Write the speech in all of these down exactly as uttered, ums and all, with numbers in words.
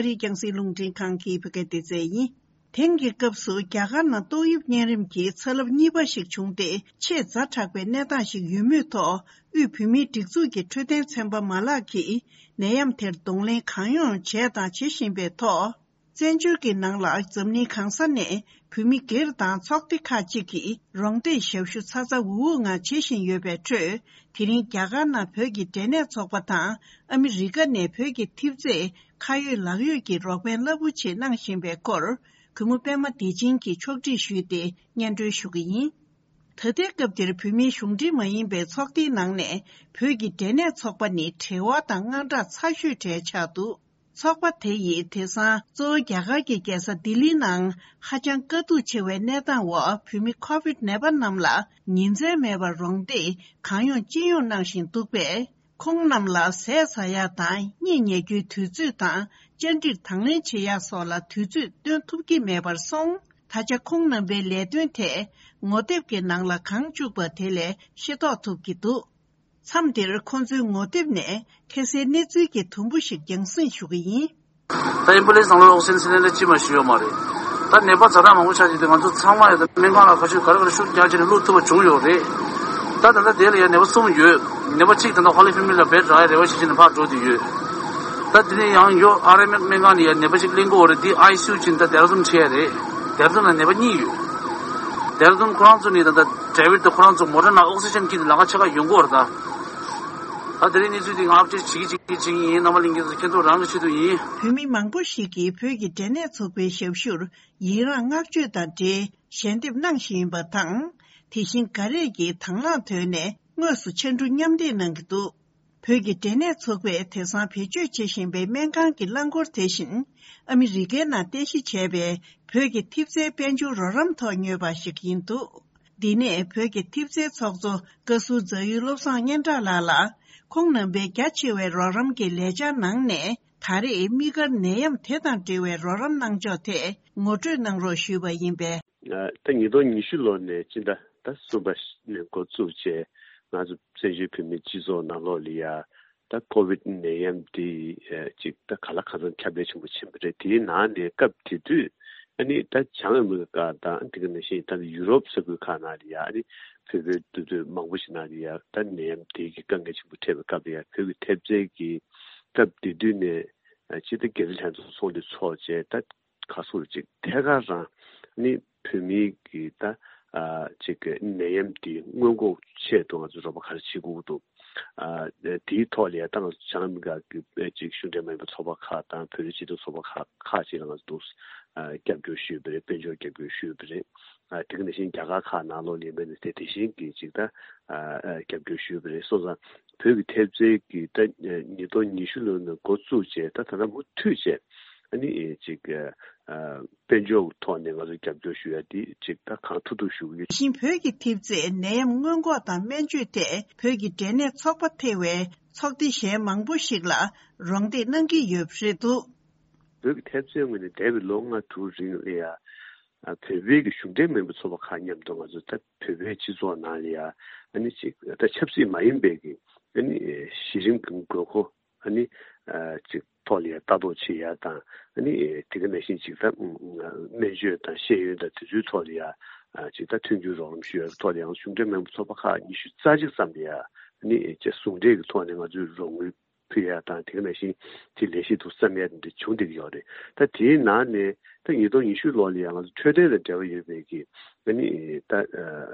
ཨ་རིའི་རྒྱང་སྲིང་རླུང་འཕྲིན་ཁང་གི་བོད་སྐད་སྡེ་ཚན་ཡིན། དེང་གི་སྐབས་སུ་རྒྱ་གར་ནང་ཏོག་དབྱིབས་གཉན་རིམས་ཀྱི་ཚ་རླབས་གཉིས་པ་ཞིག་བྱུང་སྟེ་ཆེས་ཛ་དྲག་པའི་གནས་སྟངས་ཤིག་ཡོད་མུས་ཐོག་དབུས་བོད་མིའི་སྒྲིག་འཛུགས་ཀྱི་འཕྲོད་བསྟེན་ཚན་པ་མ་ལག་གིས་ནད་ཡམས་དེར་གདོང་ལེན་གང་ཡོང་བྱས་དང་བྱེད་བཞིན་པའི་ཐོག་བཙན་བྱོལ་གྱི་ནང་ལ་འཛམ་གླིང་གང་ས་ནས་བོད་མི་སྒེར་དང་ཚོགས་སྡེ་ཁག་ཅིག་གིས་རོགས་འདེགས་ཞབས་ཞུ་ཚ་ཚ་འུར་འུར་ངང་བྱེད་བཞིན་ཡོད་པའི་ཁྲོད། དེ་རིང་རྒྱ་གར་ནང་བོད་ཀྱི་འབྲས་ནད་ཚོགས་པ་དང་ཨ་མི་རི་ཀ་ནས་བོད་ཀྱི་ཐེབས་རྩས་ཁ་ཡོད་ལག་ཡོད་ཀྱི་རོགས་ཕན་རླབས་པོ་ཆེ་གནང་བཞིན་པའི་སྐོར། གུས་མོ་པད་མ་བདེ་ཆེན་གྱིས་ཕྱོགས་སྒྲིག་ཞུས་ཏེ་སྙན་སྒྲོན་ཞུ་གི་ཡིན། ད་ལྟའི་སྐབས་འདིར་བོད་མིའི་གཞུང་འབྲེལ་མ་ཡིན་པའི་ཚོགས་སྡེའི་ནང་ནས་བོད་ཀྱི་འབྲས་ནད་ཚོགས་པ་ནི་བྲེལ་བ་དང་དངངས་སྐྲག་ཚ་ཤོས་གྲས་ཆགས་འདུག་ཚོགས་པ་དེ་ཡིས་དེང་སང་གཙོ་བོ་རྒྱ་གར་གྱི་རྒྱལ་ས་ལྡི་ལིའི་ནང་ཧ་ཅང་དཀའ་སྡུག་ཆེ་བའི་གནས་སྟངས་འོག་བོད་མི་ཁོ་བིད་ནད་པ་རྣམས་ལ་ཉིན་མཚན་མེད་པར་རོགས་འདེགས་གང་ཡོང་ཅི་ཡོང་གནང་བཞིན་འདུག་པས། ཁོང་རྣམས་ལ་ཟས་ཟ་ཡག་དང་གཉིད་ཉལ་རྒྱུའི་དུས་ཚོད་དང་བཅར་འདྲིར་དང་ལེན་བྱེད་ཡག་སོགས་ལ་དུས་ཚོད་བཏོན་ཐུབ་ཀྱི་མེད་པར་སོང་། ད་ཆ་ཁོང་རྣམ་པའི་ལས་དོན་ཐད་ངོ་དེབ་ཀྱི་ནང་ལ་གང་བཅུག་པ་དེ་ལས་ཤེས་རྟོགས་ཐུབ་ཀྱི་འདུག་མཚམས་འདིར་ཁོང་ཚོའི་ངོ་དེབ་ནས་ཁ་སའི་གནས་ཚུལ་གྱི་དུམ་བུ་ཞིག་རྒྱང་སྲིང་ཞུ་གི་ཡིན། ད་ཨེམ་བུ་ལེན་སི་ནང་ལ་ཨོག་སི་ཇན་སི་ལིན་ཌར་གཅིག་མ་ཞིག་ཡོད་མ་རེད། ད་ནད་པ་ཛ་དྲག་མང་པོ་ཆགས་ཀྱི་འདུག་ང་ཚོ་ཚང་མ་ཡང་ད་སྨན་ཁང་ལ་ག་ཚོད་ག་རེ་ག་རེ་ཤུགས་རྒྱག་བྱས་ནས་བླུག་ཐུབ་པ་བྱུང་ཡོད་རེད། ད་ད་ལྟ་དེ་ལ་ཡང་ནད་པ་གསུམ་ཡོད། ནད་པ་གཅིག་ད་ལྟ་ཧོ་ལི་ཕེ་མི་ལི་ལ་བེད་རག་ཡ་རེ་བ་བྱེད་བྱས་ནས་ཕར་འགྲོ་བསྡད་ཡོད། ད་དེ་ནས་ཡང་ཡོ་ཨར་ཨེམ་ཨེཕ་སྨན་ཁང་ནས་ཡང་ནད་པ་གཅིག་ལེན་དགོས་རེད། འདི་ཨའི་སི་ཡུ་ཕྱིན་ད་ལྡེ་ར་ལྡུན་ཁྲིད་ཡ་རེད། ལྡེ་ར་ལྡུན་ལ་ནད་པ་གཉིས་ཡོད། ལྡེ་ར་ལྡུན་ཁོ་རང་ཚོ་ནས་ད་ལྟ་ཌེ་བིཌ་དང་ཁོ་རང་ཚོ་མོ་ཊ་ནང་ཨོག་སི་ཇན་འཁྱེར་ནས་ལམ་ཁ་ཕྱེད་ཀ་ཡོང་གི་ཡོད་རེད་ད། ད་དེ་རིང་གནས་ཚུལ་འདི་ང་ཨབ་ཌེཊ་བྱེད་ཀྱི་བྱེད་ཀྱི་བྱེད་ཀྱི་ཡིན། རྣམ་པ་ལྷན་རྒྱས་ཚོ་མཁྱེན་རྟོགས་རང་གི་ཆེད་དུ་ཡིན། བོད་མི་མང་པོ་ཞིག་གིས་བོད་ཀྱི་འབྲས་ནད་ཚོགས་པའི་ཞབས་ཞུར་ཡི་རངས་བསྔགས་བརྗོད་དང་འབྲེལ་ཞལ་འདེབས་གནང་བཞིན་ཡིན་པ་དང་། དེ་བཞིན་འགའ་རེས་ཀྱིས་དང་བླངས་ཐོག་ནས་དངོས་སུ་ཕྱར་གྲུ་མཉམ་འདེགས་གནང་གི་འདུག་བོད་ཀྱི་འབྲས་ནད་ཚོགས་པས་དེང་སང་བེད་སྤྱོད་བྱེད་བཞིན་པའི་སྨན་ཁང་གི་རླངས་འཁོར་དེ་བཞིན་ཨ་མི་རི་ཀའི་ནང་རྟེན་གཞི་བྱས་པའི་བོད་ཀྱི་ཐེབས་རྩའི་དཔལ་འབྱོར་རོགས་རམ་ཐོག་ཉོས་པ་ཞིག་ཡིན་འདུག་འདི་ནས་བོད་ཀྱི་ཐེབས་རྩའི་ཚོགས་གཙོ་བཀའ་ཟུར་རྫ་ཡུལ་བློ་བཟང་སྙན་གྲགས་ལགས་ལ་ཁོང་རྣམ་པའི་རྒྱ་ཆེ་བའི་རོགས་རམ་གྱི་ལས་འཆར་ནང་ནས་ད་རེས་དམིགས་བཀར་ནད་ཡམས་དེ་དང་འབྲེལ་བའི་རོགས་རམ་གནང་ཕྱོགས་ཐད་ངོ་སྤྲོད་གནང་རོགས་ཞུས་པ་ཡིན་པས། ད་ཉིས་སྟོང་ཉི་ཤུ་ལོ་ནས་སྤྱི་ཟླ་ད་གསུམ་པ་ནས་འགོ་བཙུགས་བྱས་ང་ཚོ་བཙན་བྱོལ་བོད་མིའི་སྤྱི་ཚོགས་ནང་ལོགས་ལ་ཡ། ད་ཀོ་བིད་ནད་ཡམས་འདི་ཅིག་ད་ག་ལ་གང་འཚམ་ཁྱབ་གདལ་ཆེན་པོ་ཕྱིན་པ་རེད། དེའི་ནང་ནས་སྐབས་དེ་དུས་ཨ་ནི་ད་བྱང་ཨ་མི་རི་ཀ་དང་དེ་ག་ནང་བཞིན་ད་ཡུ་རོབ་ས་ཁུལ་ཁག་ནང་ལ་ཡ་ཨ་ནི་བོད་པའི་འདུས་སྡོད་མང་པོ་ཞིག་ནང་ལ་ཡ་ད་ནད་ཡམས་དེ་གི་དཀའ་ངལ་ཆེན་པོ་འཕྲད་པའི་སྐབས་ལ་ཡ་བོད་ཀྱི་ཐེབས་རྩའི་གི་སྐབས་དེ་དུས་ནས་སྤྱི་ཟླ་བརྒྱད་ཙམ་ལྷན་ཚོགས་ཚོགས་འདུ་ཚོགས་བྱས་ད། ཁ་སོར་ཅིག་ཐད་ཀར་རང་ནི་བོད་མིའི་གི་ད་ཨ་ཅིག་གི་ནད་ཡམས་འདི་སྔོན་འགོག་ཆེད་དུ་ང་ཚོ་རོགས་པ་ག་རེ་བྱེད་དགོས་འདུག་ཨ་དེའི་ཐོག་ལ་ཡ་ད་ང་ཚོ་བྱང་ཨ་མི་རི་ཀ་གི་ཅིག་གཞུང་འབྲེལ་མ་ཡིན་པའི་ཚོགས་པ་ཁག་དང་བོད་རིགས་སྤྱི་མཐུན་ཚོགས་པ་ཁག་ཁག་ཅིག་ལ་ང་ཚོ་འདུག་ཨ་རྒྱབ་སྐྱོར་ཞུས་པ་རེད། དཔལ་འབྱོར་རྒྱབ་སྐྱོར་ཞུས་པ་རེད། ཨ་དེ་ག་ནང་བཞིན་རྒྱ་གར་ཁག་ནང་ལོགས་ལ་ཡིན་པ་ནི་དེ་དེ་བཞིན་གི་ཅིག་ད་ཨ་ཨ་རྒྱབ་སྐྱོར་ཞུས་པ་རེད། སོང་ཙང་བོད་ཀྱི་ཐེབས་རྩའི་གི་ད་ཉིས་སྟོང་ཉི་ཤུ་ལོ་ནས་འགོ་བཙུགས་བྱས་ད་ད་ལྟ་མུ་མཐུད་བྱས་ཨ་ནི་ཅིག་ཨ་དཔལ་འབྱོར་ཐོག་ནས་ང་ཚོ་རྒྱབ་སྐྱོར་ཞུ་ཡ་དེ་ཅིག་ད་གང་ཐུབ་ཐུབ་ཞུ་གི་ཡོད། དེ་བཞིན་བོད་ཀྱི་ཐེབས་རྩས་ནད་ཡམས་སྔོན་འགོག་དང་སྨན་བཅོས་ཐད་བོད་ཀྱི་འབྲས་ནད་ཚོགས་པ་ཐེ་བའི་ཚོགས་སྡེ་གཞན་མང་པོ་ཞིག་ལ་རོགས་འདེགས་གནང་གི་ཡོད་པ་རེད་འདུག་བོད་ཀྱི་ཐེབས་རྩའི་ངོས་ནས་འདས་པའི་ལོ་ལྔ་དྲུག་རིང་ལ་ཡ། ཨ་བོད་པའི་གི་གཞུང་འབྲེལ་མིན་པའི་ཚོགས་པ་ཁག་མཉམ་དུ་ང་ཚོ་ད་བོད་པའི་སྤྱི་ཚོགས་ནང་ལ་ཡ་ཨ་ནི་ཅིག་ད་ཆབ་སྲིད་མ་ཡིན་པའི་གི་ཨ་ནི་གཞི་རིམ་གྱི་དགོས་མཁོ་ཨ་ནི་ཨ་ཅིག་ཐོག་ལ་ཡ་ལྟ་རྟོག་བྱེད་ཡ་དང་ཨ་ནི་དེ་ག་ནང་བཞིན་ཅིག་ད་སྨན་བཅོས་དང་ཤེས་ཡོན་དང་དེ་ཚོའི་ཐོག་ལ་ཡ་ཨ་ཅིག་ད་མཐུན་འགྱུར་རོགས་རམ་ཞུ་ཡ་ཐོག་ལ་ཡང་གཞུང་འབྲེལ་མིན་པའི་ཚོགས་པ་ཁག་ཉི་ཤུ་རྩ་གཅིག་ཙམ་ལ་ཡ་ཨ་ནི་ཅིག་ཟུང་འབྲེལ་གྱི་ཐོག་ནས་ང་ཚོས་རོགས་དངུལ་ཕུལ་ཡ་དང་དེ་ག་ནང་བཞིན་དེ་ལས་གཞི་དུ་བསམ་ཡ་དེ་འདྲ་བྱུང་བསྡད་ཀྱི་ཡོད་རེད། ད་དེའི་ནང་ནས་ད་ཉིས་སྟོང་ཉི་ཤུ་ལོ་ལ་ཡང་ང་ཚོ་འཕྲོད་བསྟེན་དང་འབྲེལ་བ་ཡོད་པའི་གི་ཨ་ནི་ད་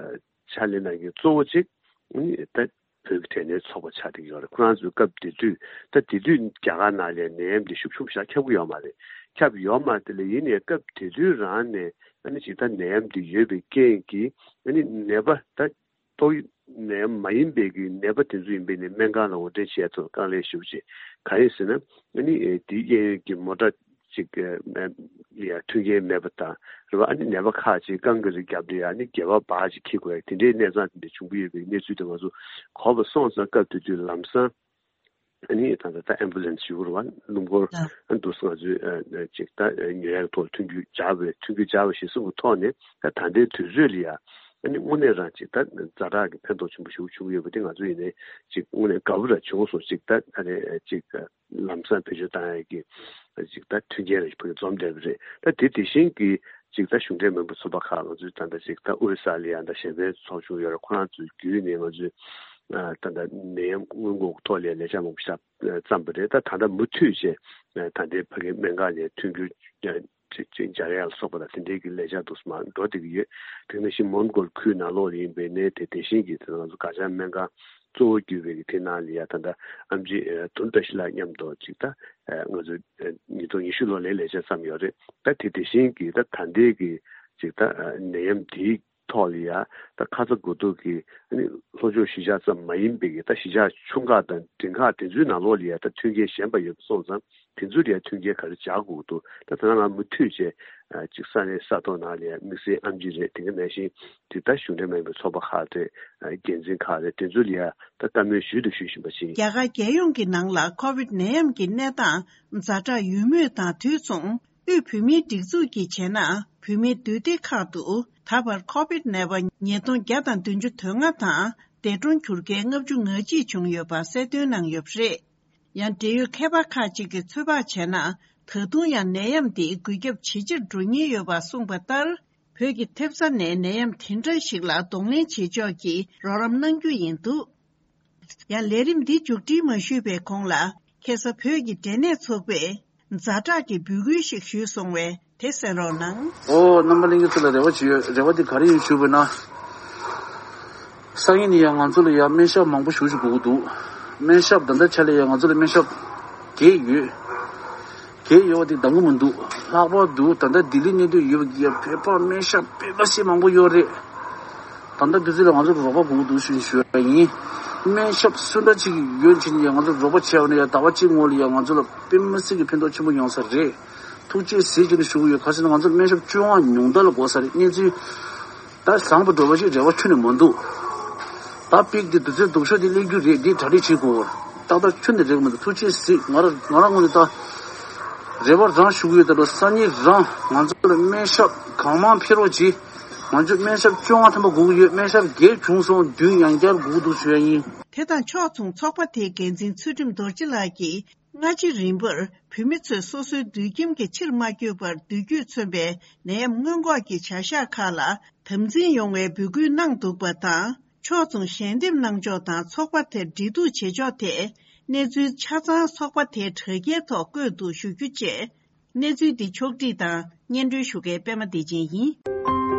ཕྱག་ལས་གནང་མཁན་གཙོ་བོ་གཅིག་ཨ་ནི་ད་བོད་ཀྱི་འབྲས་ནད་ཚོགས་པ་ཆགས་བསྡད་ཀྱི་ཡོད་རེད། ཁོ་རང་ཚོའི་སྐབས་དེ་དུས་ད་དེ་དུས་རྒྱ་གར་ནང་ལ་ནད་ཡམས་དེ་ཤུགས་ཆེན་པོ་ཞིག་ཁྱབ་ཀྱི་ཡོད་མ་རེད། ཁྱབ་ཡོད་མ་རེད། དེ་ལ་ཡིན་ནའི་སྐབས་དེ་དུས་རང་ནས་ཨ་ནི་ཅིག་ད་ནད་ཡམས་དེ་ཡོད་པའི་རྐྱེན་གྱིས་ཨ་ནི་ནད་པ་ད། ཏོག་དབྱིབས་ནད་ཡམས་མ་ཡིན་པའི་གི་ནད་པ་དེ་ཚོ་ཡིན་པས་ནི་སྨན་ཁང་ལ་འོར་འདྲེན་བྱས་ཐོག་དཀའ་ལས་ཞེ་པོ་ཅིག་གང་ཡིན་ཟེར་ན་ཨ་ནི་དེའི་གཡས་གཡོན་གྱི་མོ་ཊ་ཅིག་ཡ་མཐུན་རྐྱེན་མེད་པ་དང་རེད་བ། ཨ་ནི་ནད་པ་ཁག་ཅིག་རྐང་གི་རིགས་བརྒྱབ་སྟེ་ཨ་ནི་སྒལ་པ་འབག་ཅིག་འཁྱེར་དགོས་ཡ་དེ་འདྲའི་གནས་སྟངས་དེ་འདྲ་བྱུང་གི་ཡོད་པའི་གནས་ཚུལ་དེ་ང་ཚོ་གོ་བ་སོང་ཙང་སྐབས་དེ་དུས་ལམ་སང་། ཨ་ནི་ད་ལྟ་ད་ཨེམ་བུ་ལན་སི་ཞུ་དགོས་རེད་བ། སྣུམ་འཁོར་ཨ་འདུག་སེ་ང་ཚོས་ཨ་ཅིག་ད་ཉོ་ཡག་ཐོག་མཐུན་འགྱུར་སྦྱར་བའི་མཐུན་འགྱུར་སྦྱར་བ་ཞིག་གསུངས་པའི་ཐོག་ནས་ད་ད་ལྟའི་དུས་ཚོད་ལ་ཡ་ ཨ་ནི་དངོས་གནས་རང་ཅིག་ད་ཛ་དྲག་གི་ཕན་ཐོགས་ཆེན་པོ་ཞིག་བྱུང་ཡོད་པ་དེ་ང་ཚོ་ཡིན་ནའི་ཅིག་དངོས་གནས་དགའ་པོ་རང་བྱུང་སོང་། ཅིག་ད་ཨ་ནི་ཅིག་ལམ་སང་བེད་སྤྱོད་བཏང་ཡག་གི་ཅིག་ད་མཐུན་རྐྱེན་རེ་ཕུལ་འཛོམས་བསྡད་པ་རེད། ད་དེ་དེ་བཞིན་གྱི་ཅིག་ད་གཞུང་འབྲེལ་མིན་པའི་ཚོགས་པ་ཁག་ང་ཚོའི་ད་ལྟ་ཅིག་ད་ཨོ་སི་ཀྲ་ལི་ཡ་ད་གཞན་པའི་ཚོགས་ཆུང་ཡོད་རེད། ཁོ་རང་ཚོའི་བརྒྱུད་ནས་ང་ཚོས་ད་ལྟ་ནད་ཡམས་སྔོན་འགོག་ཐོག་ལ་ལས་འཆར་མང་པོ་ཞིག་བརྩམས་པ་རེད། ད་ད་ལྟ་མུ་མཐུད་བྱས་ད་ལྟའི་ཕ་གིའི་སྨན་ཁང་ནས་མཐུན་འགྱུར་ཅིག་སྦྱར་ཡག་ལ་སོགས་པ་དང་དེ་འབྲེལ་གྱི་ལས་འཆར་འདུག་སེ་མར་འགྲོ་བསྡད་ཀྱི་ཡོད། དེ་ནང་བཞིན་མོན་གྷོ་ཁུལ་ནང་ལོགས་ལ་ཡིན་པའི་ནས་དེ་དེ་བཞིན་གྱི་དེ་ང་ཚོ་སྒར་བྱང་སྨན་ཁང་གཙོ་བོ་གྱུར་པའི་གི་དེ་ནང་ལ་ཡ་ད་ལྟ་ཨེམ་ཆི་དུན་བཀྲ་ཤིས་ལགས་མཉམ་དུ་ཅིག་ད་ང་ཚོ་ཉིས་སྟོང་ཉི་ཤུ་ལོ་ལའི་ལས་འཆར་བརྩམས་ཡོད་རེད། ད་དེ་དེ་བཞིན་གྱི་ད་ད་ལྟའི་གི་ཅིག་ད་ནད་ཡམས་དེའི་ཐོག་ལ་ཡ་ད་ཁ་ཚ་དགོས་གཏུགས་ཀྱི་ཨ་ནི་ལྷོ་ཕྱོགས་གཞིས་ཆགས་ཙམ་མ་ཡིན་པའི་གི་ད་གཞིས་ཆགས་ཆུང་ཁག་དང་འབྲིང་ཁག་དེ་ཚོའི་ནང་ལོགས་ལ་ཡ་ད་མཐུན་རྐྱེན་ཞན་པ་ཡོད་པ་སོང་ཙང་དེ་ཚོ་ལ་ཡ་མཐུན་རྐྱེན་ག་རེ་སྦྱར་དགོས་འདུག་ད་ད་ང་མུ་མཐུད་བྱས་ཅིག་ས་གནས་ས་ཐོག་ནང་ལ་ཡ་དམིགས་བསལ་ཨེམ་ཆི་རེད། དེ་ག་ནང་བཞིན་ཅིག་ད་གཞུང་འབྲེལ་མིན་པའི་ཚོགས་པ་ཁག་རེད། འགན་འཛིན་ཁག་རེད། དེ་ཚོ་ལ་ཡ་ད་བཀའ་མོལ་ཞུས་དང་ཞུ་བཞིན་པ་ཞིག་རྒྱ་གར་རྒྱལ་ཡོངས་ཀྱི་ནང་ལ་ཁོ་བིད་ནད་ཡམས་ཀྱི་གནས་སྟངས་ཛ་དྲག་ཡོད་མུས་དང་དུས་མཚུངས། དབུས་བོད་མིའི་སྒྲིག་འཛུགས་ཀྱིས་བྱས་ན། བོད་མིའི་འདུས་སྡེ་ཁག་ཏུ་ད་བར་ཁོ་བིད་ནད་པ་ཉིས་སྟོང་བརྒྱ་དང་བདུན་ཅུ་དོན་ལྔ་དང་། འདས་གྲོངས་གྱུར་མཁན་ལྔ་བཅུ་ང་གཅིག་བྱུང་ཡོད་པ་གསལ་སྟོན་གནང་ཡོད་པ་རེད། ཡང་འབྲེལ་ཡོད་མཁས་པ་ཁག་ཅིག་གིས་ཚོད་དཔག་བྱས་ན། ད་དུང་ཡང་ནད་ཡམས་འདི་འགོས་ཁྱབ་ཇེ་ཆེར་འགྲོ་ཉེན་ཡོད་པ་གསུངས་པ་ལྟར། བོད་ཀྱི་ཐེབས་རྩ་ནས་ནད་ཡམས་དེ་འདྲ་ཞིག་ལ་གདོང་ལེན་བྱེད་ཕྱོགས་ཀྱི་རོགས་རམ་གནང་རྒྱུ་ཡིན་འདུག་ཡང་ལས་རིམ་འདི་མཇུག་སྒྲིལ་མ་ཞུས་པའི་གོང་ལ། ཁ་སང་བོད་ཀྱི་འབྲས་ནད་ཚོགས་པས་ཛ་དྲག་གི་འབོད་སྐུལ་ཞིག་ཞུས་སོང་བས་དེ་གསན་རོགས་གནང་། ཨོ། རྣམ་པ་ལྷན་རྒྱས་ཚོ་ལ་རེ་བ་ཅིག་ཡོད། རེ་བ་འདི་ག་རེ་ཡིན་ཞུས་པ་ན། སང་ཉིན་ནས་ཡང་ང་ཚོ་ལ་ཡང་སྨན་ཞབས་མང་པོ་ཞེ་པོ་ཅིག་དགོས་ཀྱི་འདུག་སྨན་ཞབས་ད་ལྟའི་ཆ་ལ་ཡང་ང་ཚོ་ལ་སྨན་ཞབས་བརྒྱད་ཡོད། བརྒྱད་ཡོད་པ་དེ་འདང་གི་མི་འདུག་ལྷག་པར་དུ་ད་ལྟ་ལྡི་ལི་གནས་སྡོད་ཡོད་པའི་བོད་པ་སྨན་ཞབས་དཔེ་མ་སྲིད་མང་པོ་ཡོད་རེད། ད་ལྟ་དུས་ཚོད་ལ་ང་ཚོར་རོགས་པ་དགོས་ཀྱི་འདུག་ཞུ་ཞུ་བ་ཡིན། སྨན་ཞབས་སུ་འདྲ་ཅིག་ཡོད་ཕྱིན་ཡང་ང་ཚོར་རོགས་པ་བྱས་པ་ན་ཡང་ཟླ་བ་གཅིག་སྔོན་ལ་ཡང་ང་ཚོ་ལ་དཔེ་མ་སྲིད་ཀྱི་ཕན་ཐོགས་ཆེན་པོ་ཡོང་ས་རེད། ཐུགས་རྗེ་གཟིགས་ཀྱི་ནས་ཞུ་གི་ཡོད། ག་ཟེར་ན་ང་ཚོར་སྨན་ཞབས་བཅོ་ལྔ་ཉུང་མཐའ་ལ་དགོས་ས་རེད། གནས་ཚུལ་ད་བཟང་པོ་འགྲོ་བ་ཞིག་རེ་བ་ཁྱོན་ནས་མི་འདུག་ད་པིག་དེ་དུས་ཚོད་སྡུག་ཤོས་དེ་སླེབས་རྒྱུ་རེད། འདི་གྲ་སྒྲིག་བྱེད་དགོས། ཏག་ཏག་ཁྱོན་ནས་རེག་མི་འདུག་ཐུགས་རྗེ་གཟིགས། ང་རང་ང་རང་ངོས་ནས་ད་རེ་བ་རང་ཞུ་གི་ཡོད། ད་ལོ་སང་ཉིན་རང་ང་ཚོ་ལ་སྨན་ཞབས་གང་མང་ཕེབས་རོགས་གྱིས། ང་ཚོ་སྨན་ཞབས་བཅོ་ལྔ་ཐམ་པ་སྒུག་ཡོད། སྨན་ཞབས་བརྒྱད་བྱུང་སོང་། བདུན་ཡང་བསྐྱར་སྒུག་འདུག་ཞུ་ཡ་ཡིན། དེ་དང་ཕྱོགས་མཚུངས་ཚོགས་པ་དེའི་འགན་འཛིན་ཚུལ་ཁྲིམས་རྡོ་རྗེ་ལགས་ཀྱིས། སྔ་ཕྱི་རིམ་པར་བོད་མི་ཚོས་སོ་སོའི་སྡོད་ཁྱིམ་གྱི་ཕྱིར་མ་བསྐྱོད་པར་སྡོད་རྒྱུས་མཚོན་པའི་ནད་ཡམས་སྔོན་འགོག་གི་བྱ་གཞག་ཁག་ལ་དམ་འཛིན་ཡོང་བའི་འབོད་སྐུལ་གནང་འདུག་པ་དང་། ཕྱོགས་མཚུངས་ཞལ་འདེབས་གནང་ཕྱོགས་དང་ཚོགས་པ་དེར་འབྲེལ་གཏུག་བྱེད་ཕྱོགས་ཐད་གནས་ཚུལ་ཆ་ཚང་ཚོགས་པ་དེའི་དྲ་རྒྱའི་ཐོག་བཀོད་འདུག་ཞུ་རྒྱུ་བཅས། གནས་ཚུལ་འདི་ཕྱོགས་བསྒྲིགས་དང་སྙན་སྒྲོན་ཞུ་མཁན་པད་མ་བདེ་ཆེན་ཡིན།